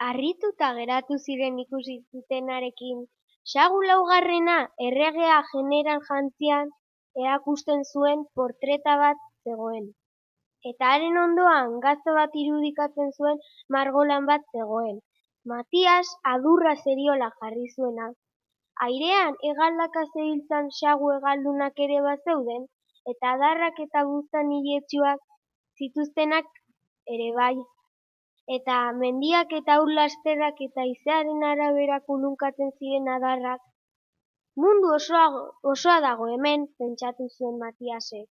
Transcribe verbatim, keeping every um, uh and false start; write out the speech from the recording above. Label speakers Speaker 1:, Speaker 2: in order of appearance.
Speaker 1: Harrituta geratu ziren ikusi zutenarekin, Sagu laugarrena erregea jeneral jantzian erakusten zuen portreta bat zegoen. Eta haren ondoan gazte bat irudikatzen zuen margolan bat zegoen. Matias adurra zeriola jarri zuena. Airean hegaldaka zebiltzan sagu hegaldunak ere bazeuden, eta adarrak eta buztan iletsuak zituztenak ere bai. Eta mendiak eta ur lasterrak eta haizearen arabera kulunkatzen ziren adarrak. Mundu osoa, osoa dago hemen, pentsatu zuen Matiasek.